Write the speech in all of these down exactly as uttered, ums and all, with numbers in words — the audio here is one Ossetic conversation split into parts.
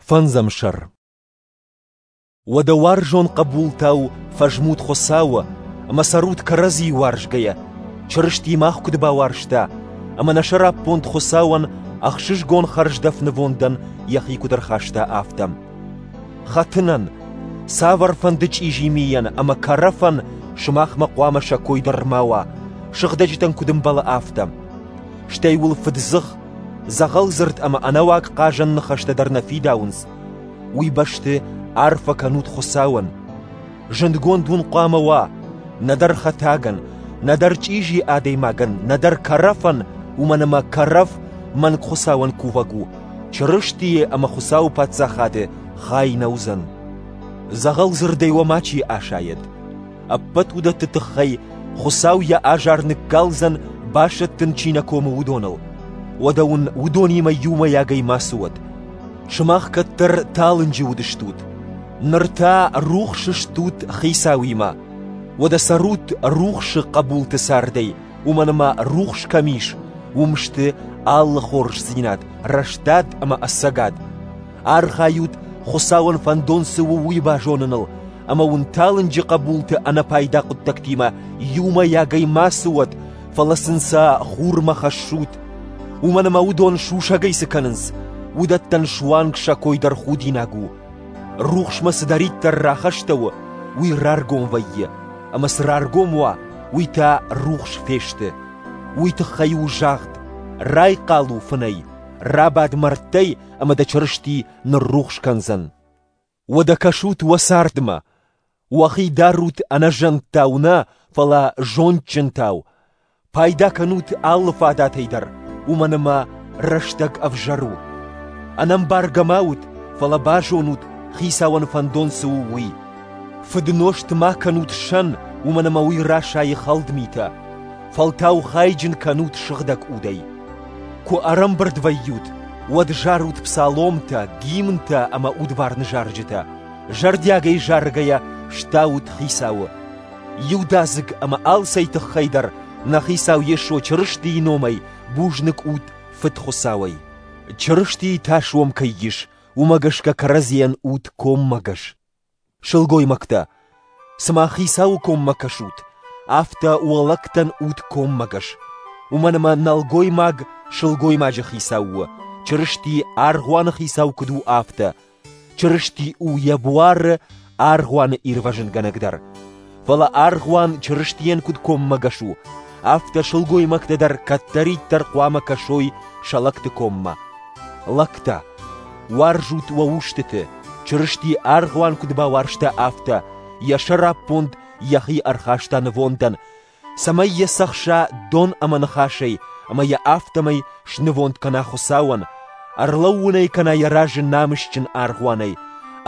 Фӕндзӕм сӕр. Уӕдӕ уарзон хъӕбултау фӕзмут Хуыцауы ӕмӕ цӕрут кӕрӕдзийы уарзгӕйӕ, Чырысти мах куыд бауарзта, ӕмӕ нӕ сӕраппонд Хуыцауӕн ӕхсызгон хӕрздӕф нывондӕн йӕхи куыд ӕрхаста, афтӕ. Хӕтынӕн, цавӕрфӕнды чъизи мийӕн ӕмӕ кӕрӕфӕн сымахмӕ хъуамӕ сӕ кой дӕр ма уа, сыгъдӕджытӕн куыд ӕмбӕлы, афтӕ. Стӕй уыл фыддзых, дзӕгъӕлдзырд ӕмӕ ӕнӕуаг хъазӕн ныхӕстӕ дӕр нӕ фидауынц. Уый бӕсты арфӕ кӕнут Хуыцауӕн. Зындгонд уын хъуамӕ уа, нӕдӕр хӕтагӕн, нӕдӕр чъизи адӕймагӕн, нӕдӕр кӕрӕфӕн, уымӕн ӕмӕ кӕрӕф мӕнг Хуыцауӕн кувӕг у, Чырыстийы ӕмӕ Хуыцауы паддзахады хай нӕ уыдзӕн. Дзӕгъӕлдзырдӕй уӕ мачи асайӕд. Ӕппӕт уыдӕтты тыххӕй Хуыцау йӕ азар ныккалдзӕн, басӕттын чи нӕ комы, уыдоныл. Уӕдӕ уын уыдонимӕ иумӕйагӕй мацы уӕд. Сымах кӕддӕр талынджы уыдыстут, ныр та рухсы стут Хицауимӕ. Уӕдӕ цӕрут рухсы хъӕбулты цардӕй, уымӕн ӕмӕ рухс кӕм ис, уым сты алы хорздзинад, рӕстад ӕмӕ ӕцӕгад. Архайут, Хуыцауӕн фӕндон цы у, уый базоныныл, ӕмӕ уын талынджы хъӕбулты ӕнӕпайда хъуыддӕгтимӕ иумӕйагӕй мацы уӕд, фӕлӕ сын сӕ хурмӕ хӕссут. Уымӕн ӕмӕ уыдон сусӕгӕй цы кӕнынц, уыдӕттӕн суанг сӕ кой дӕр худинаг у. Рухсмӕ цыдӕриддӕр рахастӕуы, уый раргом вӕййы, ӕмӕ цы раргом уа, уый та рухс фесты. Уый тыххӕй у загъд: райхъал у фынӕй, рабад мӕрдтӕй ӕмӕ дӕ Чырысти ныррухс кӕндзӕн. Уӕдӕ кӕсут уӕ цардмӕ. Уӕхи дарут ӕнӕзӕндтау нӕ, фӕлӕ зондджынтау. Пайда кӕнут алы фадатӕй дӕр, уымӕн ӕмӕ рӕстӕг ӕвзӕр у. Ӕнӕмбаргӕ ма ут, фӕлӕ базонут, Хицауӕн фӕндон цы у, уый. Фыднозт ма кӕнут сӕн, уымӕн ӕмӕ уый расайы хӕлд митӕ. Фӕлтау хайджын кӕнут сыгъдӕг удӕй. Куы ӕрӕмбырд вӕййут, уӕд зарут псаломтӕ, гимнтӕ ӕмӕ удварны зарджытӕ. Зӕрдиагӕй заргӕйӕ стаут Хицауы. Иудадзыг ӕмӕ алцӕй тыххӕй дӕр нӕ Хицау Йесо Чырыстийы номӕй бузныг ут Фыд Хуыцауӕй. Чырыстийы тас уӕм кӕй ис, уымӕ гӕсгӕ кӕрӕдзийӕн ут коммӕгӕс. Сылгоймӕгтӕ, цыма Хицауы коммӕ кӕсут, афтӕ уӕ лӕгтӕн ут коммӕгӕс. Уымӕн ӕмӕ нӕлгоймаг сылгоймаджы хицау у, Чырысти аргъуаны хицау куыд у, афтӕ. Чырысти у йӕ буары аргъуаны ирвӕзынгӕнӕг дӕр. Фӕлӕ аргъуан Чырыстийӕн куыд коммӕгӕс у, афтӕ сылгоймӕгтӕ дӕр кӕддӕриддӕр хъуамӕ кӕсой сӕ лӕгты коммӕ. Лӕгтӕ, уарзут уӕ устыты, Чырысти аргъуан куыд бауарзта, афтӕ, йӕ сӕраппонд йӕхи ӕрхаста нывондӕн, цӕмӕй йӕ цӕхса дон ӕмӕ ныхасӕй, ӕмӕ йӕ афтӕмӕй снывонд кӕна Хуыцауӕн, ӕрлӕууын ӕй кӕна йӕ разы намысджын аргъуанӕй,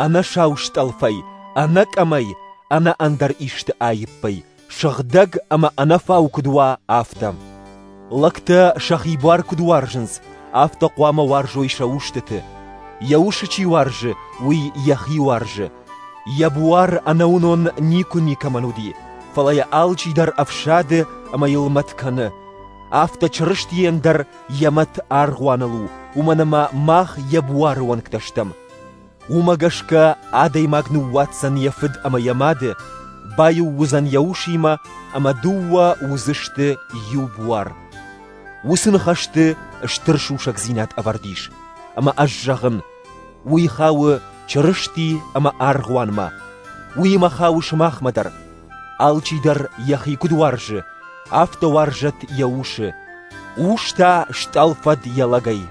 ӕнӕ сау стъӕлфӕй, ӕнӕ къӕмӕй, ӕнӕ ӕндӕр исты аиппӕй, сыгъдӕг ӕмӕ ӕнӕфау куыд уа, афтӕ. Лӕгтӕ сӕхи буар куыд уарзынц, афтӕ хъуамӕ уарзой сӕ устыты. Йӕ усы чи уарзы, уый йӕхи уарзы. Йӕ буар ӕнӕуынон никуы никӕмӕн уыди, фӕлӕ йӕ алчидӕр ӕфсады ӕмӕ йыл мӕт кӕны. Афтӕ Чырыстийӕн дӕр йӕ мӕт аргъуаныл у, уымӕн ӕмӕ мах йӕ буары уӕнгтӕ стӕм. Уымӕ гӕсгӕ адӕймаг ныууадздзӕн йӕ фыд ӕмӕ йӕ мады, баиу уыдзӕн йӕ усимӕ ӕмӕ дыууӕ уыдзысты иу буар. Уыцы ныхӕсты стыр сусӕгдзинад ӕвӕрд ис, ӕмӕ ӕз зӕгъын, уый хауы Чырысти ӕмӕ аргъуанмӕ, уыимӕ хауы сымахмӕ дӕр. Алчидӕр йӕхи куыд уарзы, афтӕ уарзӕд йӕ усы. Ус та стъӕлфӕд йӕ лӕгӕй.